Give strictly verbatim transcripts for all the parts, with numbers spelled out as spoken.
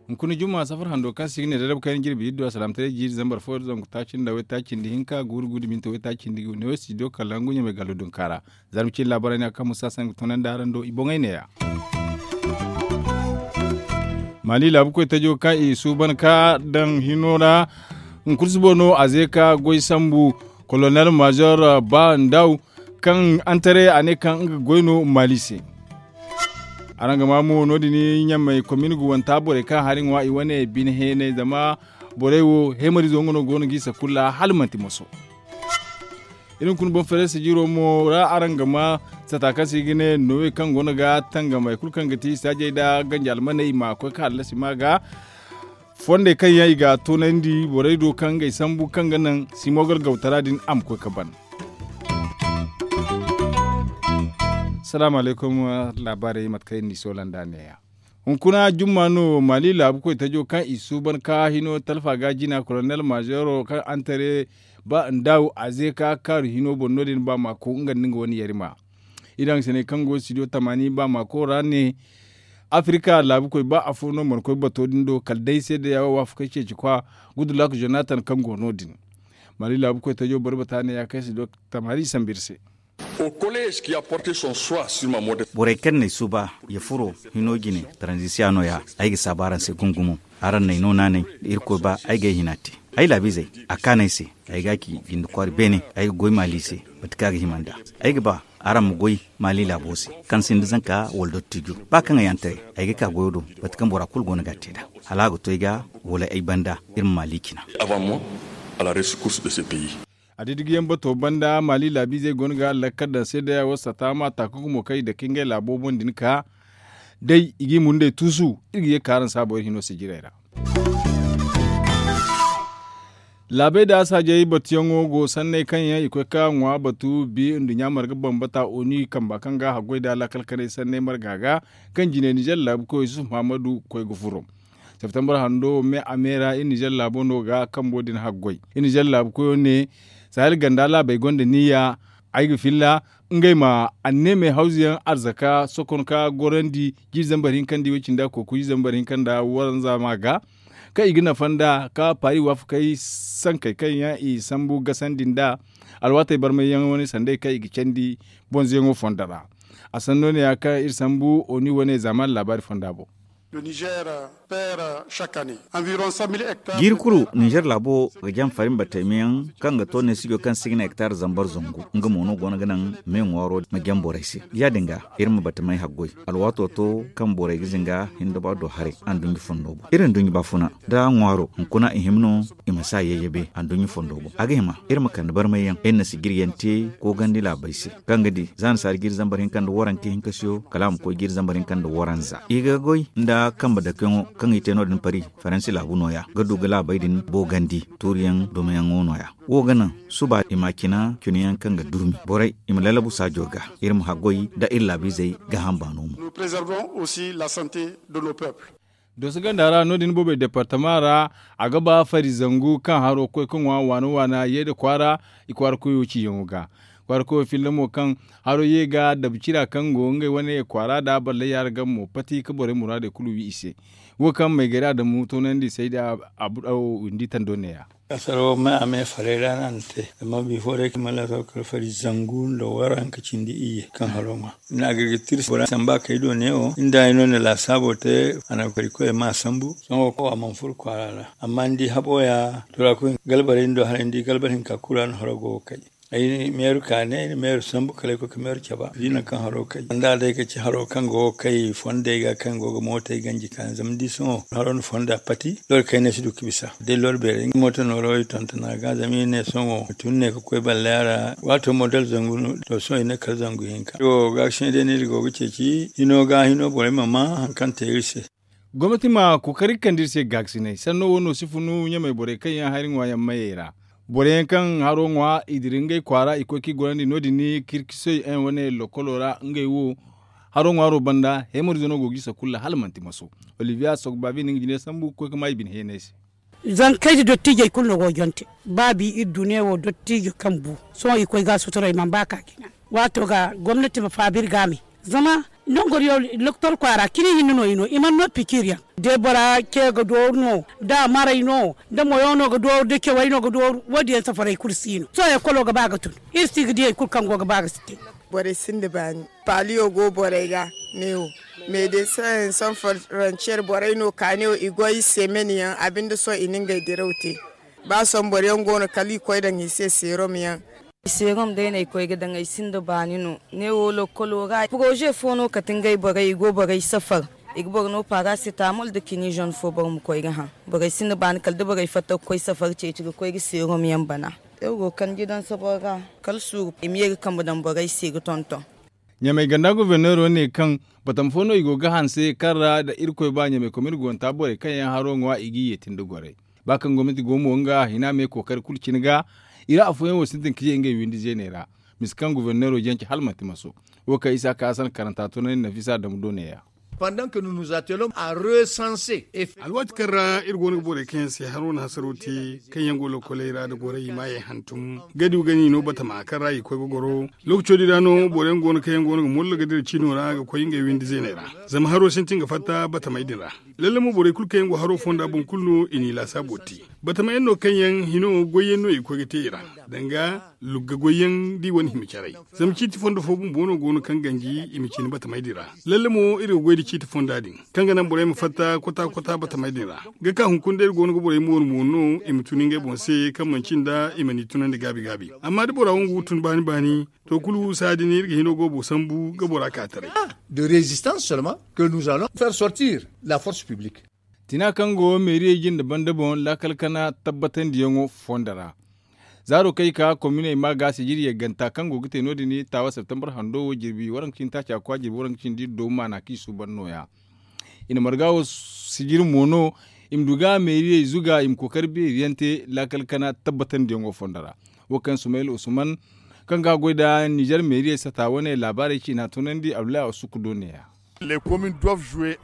Hunkuna jumma safar hando kaŋ se i ga ne darabu kayna jirbi iddu a salaamataray jiiri zambar fo zangu taaci nda waytaaci nda hinka guuru guuru minti waytaaci nda i ga ne wo studio kalangu ɲamay gallo dunka ra. Zarma cine laabaray no ya kaŋ musa sanni ga toonandi araŋ do i boŋey neeya. Maali laabu koy tajo kaŋ i suuban ka daŋ hino ra hunkuna subo no a ze ka goy sambu kolonel maazor ba ndaw kaŋ antare a ne kaŋ nga goy no maali se. Araŋ ga maa mo no- din ɲamay komin ga wanta borey kaŋ hari ŋwa i wane bine heenay zama borey wo heemarizo nga no go no g'i sakulla hala manti moso. Iri hunkuna boŋ fereese jiiro mo ra araŋ ga maa sata kaŋ se i ga ne noowe kaŋ go no ga tangamay kulu kaŋ ga ti saajey nda ganja almaney i ma koy ka hallasi ma ga fondey kaŋ yaŋ i ga a toonandi borey do kaŋ ngey sambu kaŋ ga naŋ simogal gawtara din a ma koy ka ban. Salaamu alaykum. Laabaarey mate kaŋ iri n'i soola nd'a neeya. Hunkuna jumma no maali laabu koy tajo kaŋ i suuban ka hino talfa ga jina kolonel maazero kaŋ antare ba ndaaw a ze ka kaaru hino boŋ no- din ba maako nga nda nga wane yarima. I daŋ sinay kaŋ go studio tamaani ba maako ra ne afirika laabu koy ba afo no mana koy bato din do kala day se da yaawo waafakay ceeci kwa gudulak jonatan kaŋ go no- din. Maali laabu koy tajo boro bata ne ya kaŋ studio tamaani sambu iri se. Borey kaŋ n'ay suuba ya furo hino jine taranzisiya no- ya ay ga saabu araŋ se gumo-gumo. Araŋ n'ay no naanay da irkoy ba ay g'ay hina te. Ay laabiizey a kaanay se ay ga ci jinde kwaari beene ay ga goy maali se mate kaŋ a ga hima nd'a. Ay ga ba araŋ ma goy maali laabo se kaŋ sinda zanka wala dottijo ba kaŋ ay yaŋ taray ay ga ka goyo do mate kaŋ bora kulu go no ga a te nd'a hala a ga to ay ga wala ay banda iri ma maali cina. A diddigiyaŋ bato banda maali laabiizey go no ga lakkal daŋ seedaya wo sata ma taakuku mo kaŋ i dake ngey laabo boŋ din ka day i g'i mundey tuusu. Iri ga ye ka araŋ saabo iri hino se jiray ra. Laabey da saajey batuyaŋo go sanney kaŋ yaŋ i koy ka ŋwa batu bi nduɲɲa marga bambata oni kamba kaŋ ga haggoy da lakkal kanay sanney marga ga kaŋ jine nizer laabu koy yusuf muhammadu koy ga furo. Septembar hando me a me ra iri nizer laabo no ga kambo din haggoy iri nizer laabu koyo ne sahel ganda laabey gonda niyya ay ga filla ngey ma anneemey hawzu yaŋ arzaka sokon ka gorandi jiiri zambar hinka nda i way cindi a kooku jiiri zambar hinka nda waranza ma ga kaŋ i ga nafa nd'a ka paari waafakey sankey kaŋ yaŋ i sambu gasandi nd'a alwaatey barmay yaŋ wane sanday kaŋ i ga candi bonzoyaŋo fondo ra. A sanno ne ya kaŋ iri sambu oni wane zaamaani laabaari fonda boŋ. Jiiri kulu ninzeer laabo ga jam fari ma batey meyaŋ kaŋ ga to neesijo kaŋ se i ga ne hektar zambar zangu nga mo no go no ga naŋ me ŋwaaro ma jam borey se. Ya- din ga iri ma batamey haggoy alwaato to kaŋ borey ga zinga hinda ba do haray anduɲɲa fondo boŋ iri nduɲɲa baafuna da ŋwaaro hunkuna i hima no i ma si a yayyabe anduɲɲa fondo boŋ a ga hima iri ma kande barmay yaŋ iri na sijiri yaŋ te koogandi laabey se kaŋ ga di za na saari jiiri zambar hinka nda waranka hinka siyo kala a ma koy jiiri zambar hinka nda waranza i ga goy nda kambe dakeyaŋo kaŋ i te no- din pari faransi laabu nooya ga du ga laabey din boogandi tuuriyaŋ dumayaŋo nooya wo ga naŋ suba i ma cina cinayaŋ kaŋ ga durmi borey i ma lalabu saajo ga iri ma haggoy nda iri laabiizey gaaham baano mo. Dooso ganda ra no- din boobey departama ra a ga ba fari zangu kaŋ haro koy ka ŋwa waana waana yeeda kwaara i kwaara koyo ciiyaŋo ga kwaara koyo filla mo kaŋ haro ye ga dabcira kaŋ go ngey wane kwaara da ballay yaara game mo pati ka borey muraadey kulu wi i se. Wo kaŋ maygari adamu toonandi sayda abu dawo windi tando neeya. Kasaro me a me farey ra no a na te zama bifo day kaŋ mana laasaabu kala fari zangu nda waranka cindi iyye kaŋ haro ŋwa. Ina agriculture bora samba kay do ne wo inda ay no na laasaabo te a na kari koy ma sambu sohõ wo a mana furo kwaara ra. Amma ni di habo ya turaku galbarey ni do haray ni di galbar hinka kulu ra no haro go ga kay. Ay meeru ka ne ay na meeru sambu kala ay koy ka meeru caba di nangu kaŋ haro kay sanda day ka ci haro kaŋ go ga kay fondey ga kaŋ go ga mootey ganji ka ne zama ni di sohõ haro na fonda pati loro kayna si du ga bisa day loro beerey nga mooto nooro i tontona ga zama i ne sohõ tun ne ka koy ballaya ra waato model zangu no to sohõ i ne kala zangu hinka wo ga sine day no iri go ga ceeci hino ga hino borey ma ma hari kaŋ te iri se. Gomnati ma kookari ga kande iri se gaakasinay sanno wo no si funu ɲamey borey kaŋ yaŋ hari ŋwa yaŋ mayey ra. Borey yaŋ kaŋ haro ŋwa i dira ngey kwaara i koy ka i gorandi no- din kirkisoy yaŋ wane lokolo ra ngey wo haro ŋwaaro banda heemarizo no go ga i sakulla hala manti maso. Olivier sogbabi na nga jine sambu ga koy ga ma i bine heenay se. Zankey da dottiijey kulu no go jonte. Ba bi iri du ne wo dottiijo kaŋ bu sohõ i koy ga a sutura i mana ba ka jina. Waato ga gomnati ma faabi iri ga a me. Zama nangu yaŋ loktor kwaara cini hinne no i no i mana no pikiir yaŋ. Da bora ce ga dooru no da a maray no da moyo no ga dooru da cawey no ga dooru wo- din yaŋ safaray kulu si no sohõ ekolo ga ba ga tun. Iri si ga di hari kulu kaŋ go ga ba ga si te. Borey sinda baani. Paaliyo go borey ga ne wo. Meedesaŋ sanfaranciyer borey no ka ne wo i goy semen yaŋ a binde sohõ i na ngey diraw te. Ba sohõ boro yaŋ go no kala i koy daŋ i se seerom yaŋ. Seerom day no ay koy ga daŋ ay sinda baani no. Ne wo lokolo ra poroze fo no kate ngey borey i go borey safar. I ga boro no parasetamol nda kini zone fo boro ma koy ga haŋ. Borey sinda baani kala da borey fatta ga koy safar ceeci ga koy ga seerom yaŋ bana. Iri go kanji daŋ saboro ra kala suuru i ma ye ga kambe daŋ borey se ga tonton. Ɲamey ganda goforneero ne kaŋ batama fo no i go ga hanse kaŋ ra nda irkoy ba ɲamey komin gonta borey kaŋ yaŋ haro ŋwa i g'i yeeti nda gorey. Ba kaŋ gomnati go mo nga hina me kookari kulu cine ga i ra afooyaŋ wo sintin ka ye ngey windi zeeney ra. Misa kaŋ goforneero jance hala manti maso. Wo kaŋ isa ka hasan karanta tunandi nafisa damu do neeya. Alwaati kaŋ ra iri go no ga borey kaŋ yaŋ se haro na hasaro te kaŋ yaŋ go lokoley ra nda gorey i maayey hantum gadi ga ni no batama kaŋ ra i koy ga goro. Lookaco din ra no boro yaŋ go no kaŋ yaŋ go no ga mollo ga dira ciino ra ga koy ngey windi zeeney ra. Zama haro sintin ga fatta batamey din ra. Lalle mo borey kulu kaŋ yaŋ go haro fonda boŋ kulu no i n'i laasaabo te. Batama yaŋ no kaŋ yaŋ hino goy yaŋ no i koy ga te i ra. Danga lugga goy yaŋ da i wane hima caray. Zama ciiti fondo fo bumbo no go no kaŋ ganji i ma cine batamey din ra. Lalle mo iri ga goy nda ciiti fonda din kaŋ ga naŋ borey ma fatta kota kota batamey din ra. Ga ka hunkuna day iri go no ga borey mooru mooru no i ma tun ngey boŋ se kaŋ manci nda i ma n'i tunandi gaabi gaabi. Amma da bora wangu ga tun baani baani to kulu saadi ne iri ga hino goobo sambu ga bora ka taray. De résistance seulement que nous allons faire sortir la force publique. Tina kaŋ go meeriyey jinde banda boŋ laakal kana tabbatandiyaŋo fondo ra. Zaaro kaŋ i ka kominey ma ga sijiri yagganta kaŋ go ga te no- din taawa septembar hando wo jirbi waranka cindi taaca kwa jirbi waranka cindi do maana kaŋ i suuban nooya. I na marga wo sijiri mo no i ma du ga meeriyey zuga i ma kookari beeri yaŋ te laakal kana tabbatandiyaŋo fondo ra. Wo kaŋ sumayil usman kaŋ ga goy nda nizer meeriyey sata wane laabaarey ciina tunandi abdullahi asuku do neeya.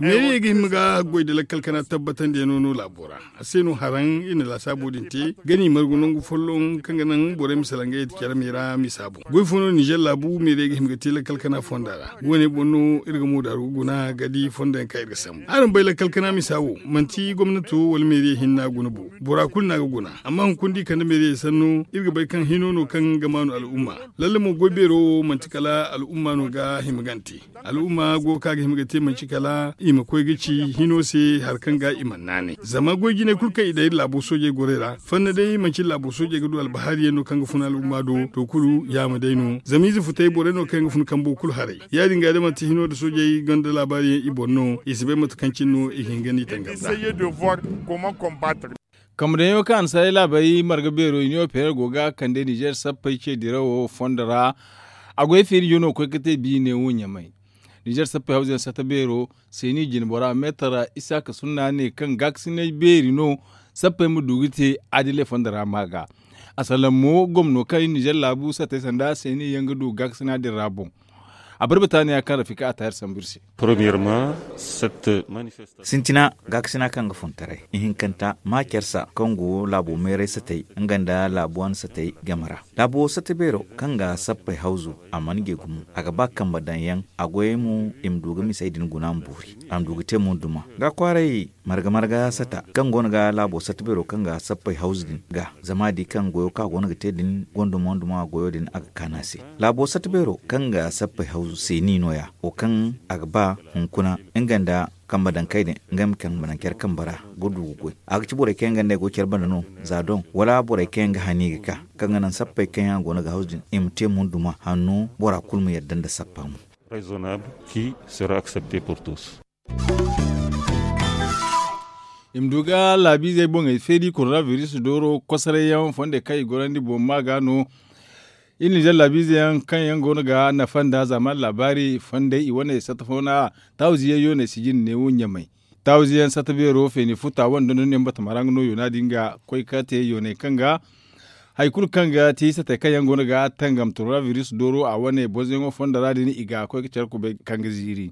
Meeriyey ga hima ga goy nda lakkal kana tabbatandiyaŋo no laabo ra. A se no haraŋ iri na laasaabo din te ga ni margu nangu folloŋ kaŋ ga naŋ borey ma salaŋ ga yeeti care me ra misa boŋ goy fo no nizer laabu meeriyey ga hima ga te lakkal kana fonda ra. Woone boŋ no iri ga moodaru ga guna ga di fondo yaŋ kaŋ iri ga sambu araŋ bay lakkal kana misa wo manti gomnato wala meeriyey hinne a guna bo. Bora kulu no a ga guna. Amma hunkuna da i kande meeriyey sanno iri ga bay kaŋ hino no kaŋ ga maanu al'umma. Lalle mo goy beero wo manti kala al'umma no ga hima gante. Al'umma go ga ka ga hima ga te manci kala i ma koy ga ci hino se hari kaŋ ga i mana naanay zama goy jinay kulu kaŋ i daŋ iri laabo soojey gorey ra fanna day manci laabo soojey ga du albahaari yaŋ no kaŋ ga fun al'umma do to kulu yaama day no zama ize futay borey no kaŋ yaŋ ga fun kambo kulu haray. Ya- din ga da manti hino nda soojey gonda laabaari yaŋ i boŋ no i si bay mate kaŋ cine no i ga hin ga ni tangam da. Kambe daŋ yaŋo kaŋ a na saaray laabey marga beero i ne wo peeray go ga kande nizer sappey ce dirawo fondo ra. A goy feeri jono ga koy ga te biine wo ɲamay. Nizer sappey hawzu yaŋ sata beero seeni jinbora meetar isaaka sunna ne kaŋ gaakasinay beeri no. Sappey ma du ga te adiley fondo ra ma ga a salaŋ mo gomno kaŋ i nizer laabu satey sanda seeni yaŋ ga du gaakasina din ra boŋ. A barbata ne ya kaŋ rafika a taayar sambu iri se. Sintina gaakasina kaŋ ga funtaray ihinkanta ma care sa kaŋ go laabo meeray satey nga nda laabo wane satey game ra. Laabo sata beero kaŋ ga sappey hawzu a mana ge gumo a ga ba kambe daŋ yaŋ a goyey mo i ma du ga misey din guna ma boori a ma du ga te mo duma ga kwaaray marga marga sata kaŋ go no ga laabo sata beero kaŋ ga sappey hawzu din ga zama a di kaŋ goyo kaŋ a go no ga te din gonda mo duma goyo din a ga kaanu a se. Laabo sata beero kaŋ ga sappey hawzu seeni no- ya wo kaŋ a ga ba hunkuna nga nda kambe daŋ kay din nga ma kambe daŋ care kambe ra ga du ga goy a ga ci borey kaŋ yaŋ ga ne ay go care banda no za doŋ wala borey kaŋ yaŋ ga hani ga ka kaŋ ga naŋ sappey kaŋ yaŋ a go no ga hawzu din i ma te mo duma hanno bora kulu ma yadda nda sappa mo. I ma du ga laabiizey boŋey feeri korona biris dooro kosoray yaŋ fondey kaŋ i gorandi boŋ ma ga no. Iri na jaŋ laabiizey yaŋ kaŋ yaŋ go no ga nafa nda zaamaani laabaari fondey i wane satta fo no a taawizi yaŋ yooney sijin neewo ɲamay. Taawizi yaŋ satta beero feeni futa wane dondon yaŋ batama ra nga no yoona din ga koy ka te yooney kaŋ ga hari kulu kaŋ ga ti satey kaŋ yaŋ go no ga tangam korona biris dooro a wane bonzoyaŋo fondo ra din i ga koy ga care kubay kaŋ ga ziiri.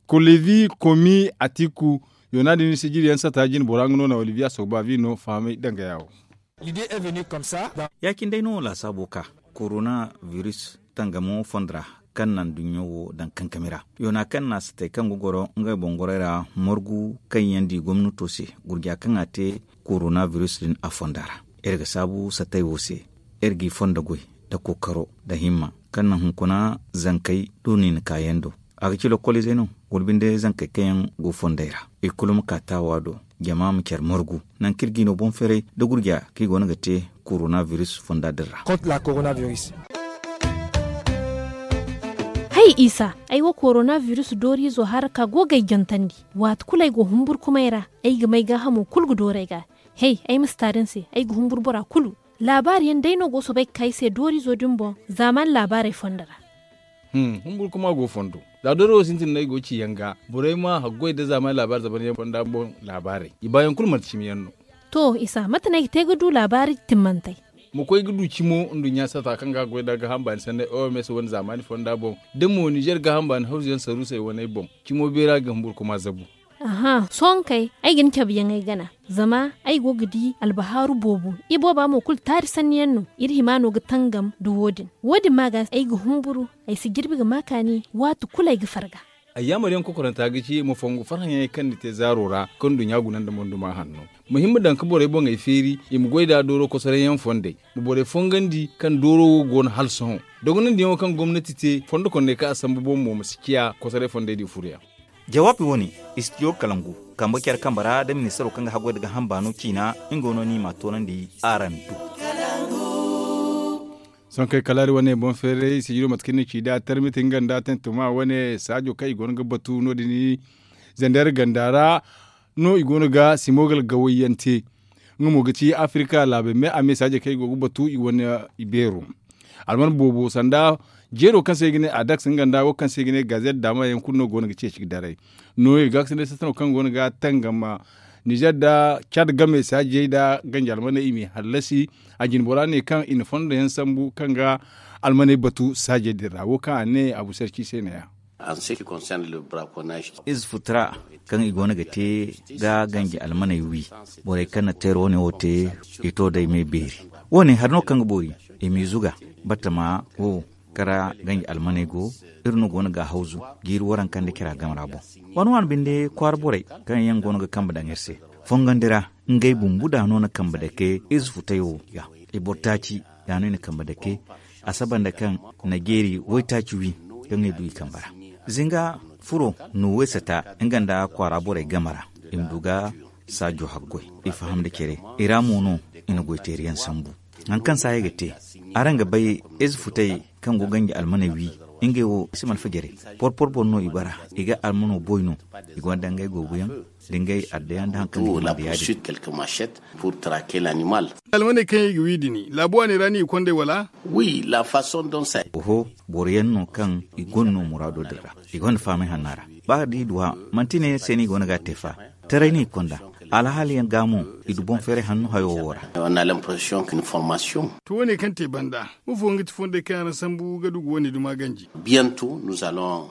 Kolevi komi atiku Yoona din sijiri yaŋ sata jine bora nga no na oliviya sogba vi no fahamay danga yaawo. Ya- cine day no laasaabo ka korona biris tangamo fondo ra, kaŋ na nduɲɲo wo daŋ kankami ra. Yoona kaŋ na a satay kaŋ ga goro ngey boŋ gorey ra, margu kaŋ yaŋ di gomnato se, gurja kaŋ a te korona biris din a fonda ra. Iri ga saabu satay wo se, iri g'i fondo goy nda kookaro nda himma, kaŋ na hunkuna zankey du niina kaayaŋ do. A ga ci lokkoliizey no, wala binde zankey kaŋ yaŋ go fondey ra. I kulu ma ka taawa do, jama ma care margu, nangu kaŋ iri g'i no boŋ feeray nda gurja kaŋ i go no ga te korona biris fonda din ra. Hay isa, ay wo korona biris dooriizo hara ka go ga ay jantandi. Waati kulu ay go humburkumay ra, ay ga may gaahamo kulu ga dooru ay ga. Hay, ay ma si taari ni se, ay ga humburu bora kulu. Laabaari yaŋ day no go soobay ga ka ay se dooriizo din boŋ, zaamaani laabaarey fondo ra. Humburu kuma go fondo. Za dooro wo sintin no ay go ga ci yaŋ ga, borey ma haggoy nda zaamaani laabaari zaban yaŋ fonda boŋ laabaarey, i baayaŋ kulu manti cimi yaŋ no. To isa, mate no ay ga te ga du laabaari timmantey? Ma koy ga du cimo nduɲɲa sata kaŋ ga goy nda gaaham baani sanney oms wane zaamaani fonda boŋ, da mo nizer gaaham baani hawzu yaŋ saruusey waney boŋ, cimo beera ga humburu kuma zabu. Aha, sohõ kay, ay ga ni cabe yaŋ ay gana. Zama ay go ga di albahaaru boobo, ibooba mo kulu taari sanni yaŋ no. Iri hima no ga tangam nda wo- din. Wo- din ma ga ay ga humburu, ay si jirbi ga ma kaani waati kulu ay ga farga. Ayyaamar yaŋ kokoranta ga ci ma fongu farhã yaŋey kaŋ ni te zaaro ra, kaŋ nduɲɲa guna nda monduma hanno. Ma hima daŋ ga borey boŋey feeri, i ma goy nd'a dooro kosoray yaŋ fondey, ma borey fongandi kaŋ dooro wo go no hala sohõ. Dogonandiyaŋo kaŋ gomnati te fondo konney kaŋ a sambu boŋ mo ma si ciya kosoray fondey din furo yaŋ. Jawaabi wo- ne, istidiyo kalangu, kambe care kambe ra nda ministaro kaŋ ga haggoy nda gaaham baano ciina, nga no ni m'a toonandi araŋ do. Sohõ kay kala iri wane boŋ feeray sijiro mate kaŋ ni ci nd'a tarmiti nga nda tantuma wane saajo kaŋ i go no ga batu no- din, zander ganda ra no i go no ga simogal gawayyaŋ te. Nga mo ga ci afirika laabey me a me saajey kaŋ i go ga batu i wane, i beero. Alman boobo sanda jeero kaŋ se i ga ne adaks nga nda wo kaŋ se i ga ne gazet daama yaŋ kulu no go no ga ceeci ga daray. No i ga ga sanda sasano kaŋ go no ga tangam nizer nda cad game saajey nda ganji almaney i m'i hallasi. A jine bora ne kaŋ i na fondo yaŋ sambu kaŋ ga almaney batu saajey din ra wo kaŋ a ne abu sarci se ne- ya. Ize futu ra kaŋ i go no ga te ga ganji almaney wi, borey kaŋ na teera wane wo te, i to day me beeri. Wo- ne hari no kaŋ ga boori, i m'i zuga batama wo, kara ganji almaney go. Iri no go no ga hawzu jiiri waranka nda cira game ra boŋ. Waani waani binde kwaara borey kaŋ yaŋ go no ga kambe daŋ iri se fongandi ra, ngey bumbu da no na kambe dake ize futey wo ga. I boro taaci, ya no i na kambe dake a saba nda kaŋ na jeeri waytaaci wi kaŋ i du i kambe ra. Zinga furo no waysata nga nda kwaara borey game ra, i ma du ga saajo haggoy, i faham nda care, i ra mo no i na goyteeriyaŋ sambu. Hari kaŋ saaya ga te, araŋ ga bay, ize futey kaŋ go ganji almaney wi, ngey wo i si malfa jare. Porpor boro no i bara, i ga almano boy no, i gonda ngey goobuyaŋ da ngey addayaŋ nda hari kaŋ ga hima nda ya- din. Almaney kaŋ yaŋ i ga wi din, laabu waaney ra no i ga kond'ey wala? Oho, boro yaŋ no kaŋ i gonda no muraado din ra, i gonda fahamay hanna ra. Ba da i du a, manti ne se no i go no ga a te fa. Taray no i konda, alhaali yaŋ ga mo, i du boŋ feeray hanno hayo wo ra. To wo- ne kaŋ te banda, mafo nga ti fondey kaŋ yaŋ ra sambu ga du ga wo- ne duma ganji?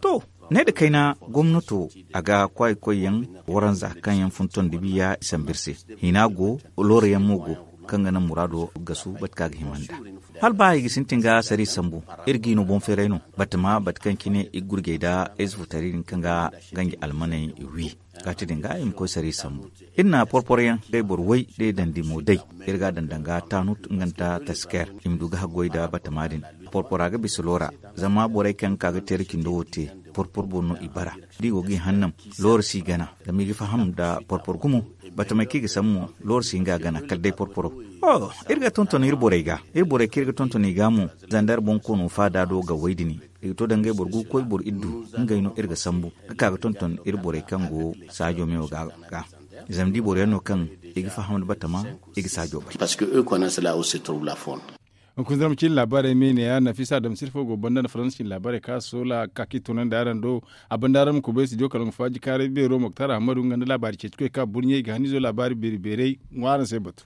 To, ne nda kayna gomnato, a ga kwaaykoyyaŋ waranza kaŋ yaŋ fun tondi biya i sambu iri se. Hina go, looroyaŋ mo go, kaŋ ga naŋ muraado gasu bate kaŋ a ga hima nda. Hala ba i ga sintin ga sari sambu, iri g'i no boŋ feeray no, batama bate kaŋ cine i ga gurjay nda ize futari din kaŋ ga ganji almaney wi. Kaati din ga i ma koy sari sambu. Iri na porpor yaŋ day boro way day dandi mo day, iri ga a daŋ danga tanut nga nda tasker, i ma du ga haggoy nda batama din. Porpora ga bisa loora, zama borey kaŋ ga ka ga teera cindo wo te, porpor boŋ no i bara. Da i go ga i hannam, loora si gana, zama i ga faham nda porpor gumo. Batamey kaŋ i ga sambu mo, loora si nga gana kala day porporo. Iri ga tonton iri borey ga, iri borey kaŋ iri ga tonton i ga mo, zandar boŋ koono faada do ga way din. I ga to da ngey boro gu ga koy boro iddu, ngey no iri ga sambu ga ka ga tonton iri borey kaŋ go saajo meewo ga. Zama da i boro yaŋ no kaŋ i ga faham nda batama, i ga saajo bay. Hunkuna zama cin laabaarey me ne ya nafisa dam sirfo go banda nda faransa cin laabaarey ka soola ka ka i tunandi araŋ do. A banda araŋ ma kubay studio kala nga faaji kaaray beero moktar ahmadu nga nda laabaari ceeci koy ka burɲey ga hanizo laabaari beeri beerey ŋwa araŋ se batu.